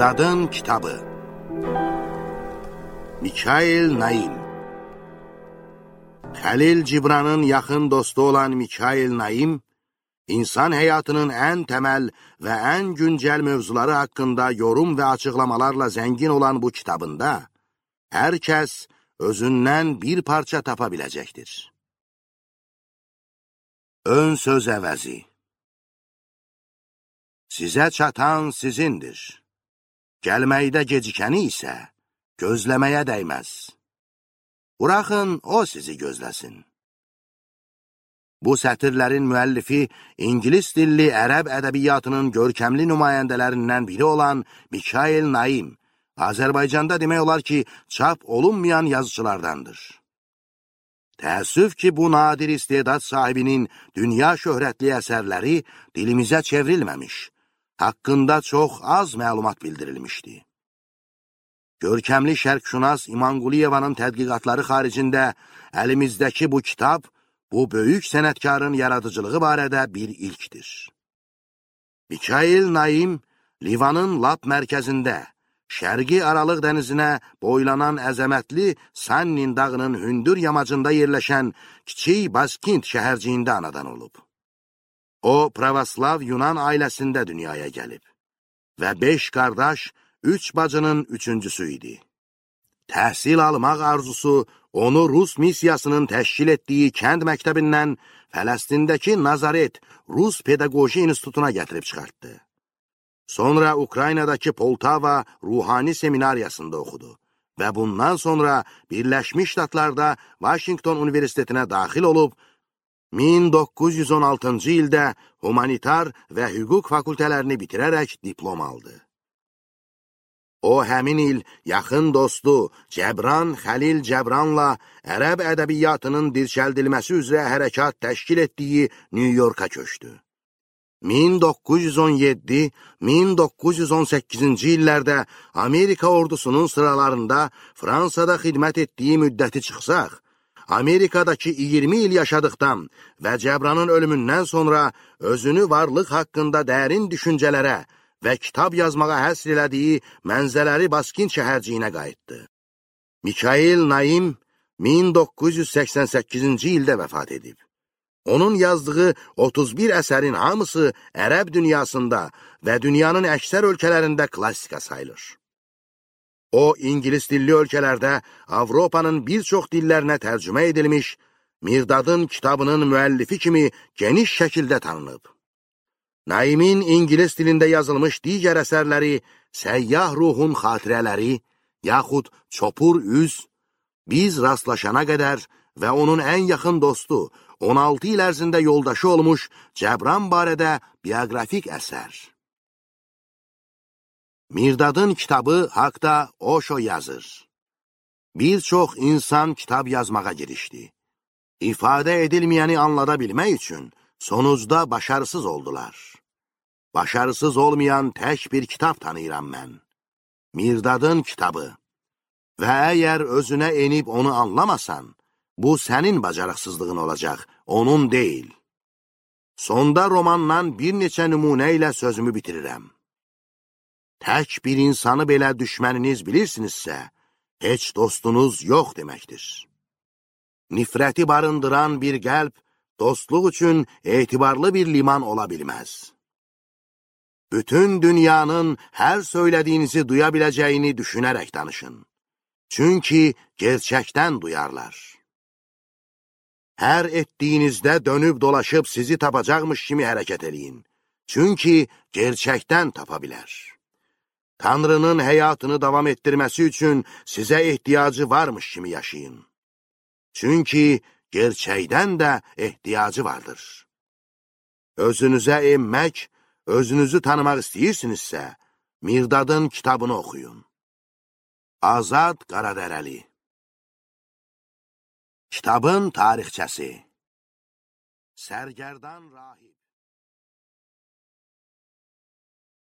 Mirdadın kitabı. Mikail Naim. Xəlil Cibranın yaxın dostu olan Mikail Naim, insan həyatının ən təməl və ən güncəl mövzuları haqqında yorum və açıqlamalarla zəngin olan bu kitabında, hər kəs özündən bir parça tapa biləcəkdir. Ön söz əvəzi. Sizə çatan sizindir. Gəlməkdə gecikəni isə gözləməyə dəyməz. Buraxın, o sizi gözləsin. Bu sətirlərin müəllifi İngilis dilli ərəb ədəbiyyatının görkəmli nümayəndələrindən biri olan Mikail Naim, Azərbaycanda demək olar ki, çap olunmayan yazıçılardandır. Təəssüf ki, bu nadir istedad sahibinin dünya şöhrətli əsərləri dilimizə çevrilməmiş, haqqında çox az məlumat bildirilmişdi. Görkəmli şərqşünas İman Quliyevanın tədqiqatları xaricində əlimizdəki bu kitab, bu böyük sənətkarın yaradıcılığı barədə bir ilkdir. Mikail Naim, Livanın lap mərkəzində, Şərqi Aralıq dənizinə boylanan əzəmətli Sannin dağının hündür yamacında yerləşən kiçik Baskint şəhərciyində anadan olub. O, pravoslav Yunan ailəsində dünyaya gəlib və 5 qardaş, 3 bacının üçüncüsü idi. Təhsil almaq arzusu onu Rus missiyasının təşkil etdiyi kənd məktəbindən Fələstindəki Nazaret Rus Pedaqoji İnstitutuna gətirib çıxartdı. Sonra Ukraynadakı Poltava Ruhani Seminariyasında oxudu və bundan sonra Birləşmiş Ştatlarda Washington Universitetinə daxil olub, 1916-cı ildə humanitar və hüquq fakültələrini bitirərək diplom aldı. O, həmin il yaxın dostu Cəbran Xəlil Cəbranla ərəb ədəbiyyatının dirçəldilməsi üzrə hərəkat təşkil etdiyi New Yorka köçdü. 1917-1918-ci illərdə Amerika ordusunun sıralarında Fransada xidmət etdiyi müddəti çıxsaq, Amerikadakı 20 il yaşadıqdan və Cəbranın ölümündən sonra özünü varlıq haqqında dərin düşüncələrə və kitab yazmağa həsr elədiyi Mənzələri Baskint şəhərciyinə qayıtdı. Mikail Naim 1988-ci ildə vəfat edib. Onun yazdığı 31 əsərin hamısı ərəb dünyasında və dünyanın əksər ölkələrində klassika sayılır. O, İngilis dilli ölkələrdə Avropanın bir çox dillərinə tərcümə edilmiş, Mirdadın kitabının müəllifi kimi geniş şəkildə tanınıb. Naimin İngilis dilində yazılmış digər əsərləri Səyyah Ruhun Xatirələri, yaxud Çopur Üz, Biz rastlaşana qədər və onun ən yaxın dostu, 16 il ərzində yoldaşı olmuş Cəbran barədə bioqrafik əsər. Mirdadın kitabı haqda Osho yazır. Bir çox insan kitab yazmağa girişdi. İfadə edilməyəni anlada bilmək üçün sonucda başarısız oldular. Başarısız olmayan tək bir kitab tanıyıram mən. Mirdadın kitabı. Və əgər özünə enib onu anlamasan, bu sənin bacarıqsızlığın olacaq, onun deyil. Sonda romandan bir neçə nümunə ilə sözümü bitirirəm. Tək bir insanı belə düşməniniz bilirsinizsə, heç dostunuz yox deməkdir. Nifrəti barındıran bir qəlb, dostluq üçün etibarlı bir liman ola bilməz. Bütün dünyanın hər söylədiyinizi duya biləcəyini düşünərək danışın. Çünki gerçəkdən duyarlar. Hər etdiyinizdə dönüb dolaşıb sizi tapacaqmış kimi hərəkət eləyin. Çünki gerçəkdən tapa bilər. Tanrının həyatını davam etdirməsi üçün sizə ehtiyacı varmış kimi yaşayın. Çünki gerçəkdən də ehtiyacı vardır. Özünüzə emmək, özünüzü tanımaq istəyirsinizsə, Mirdadın kitabını oxuyun. Azad Qaradərəli. Kitabın tarixçəsi. Sərgərdan Rahib.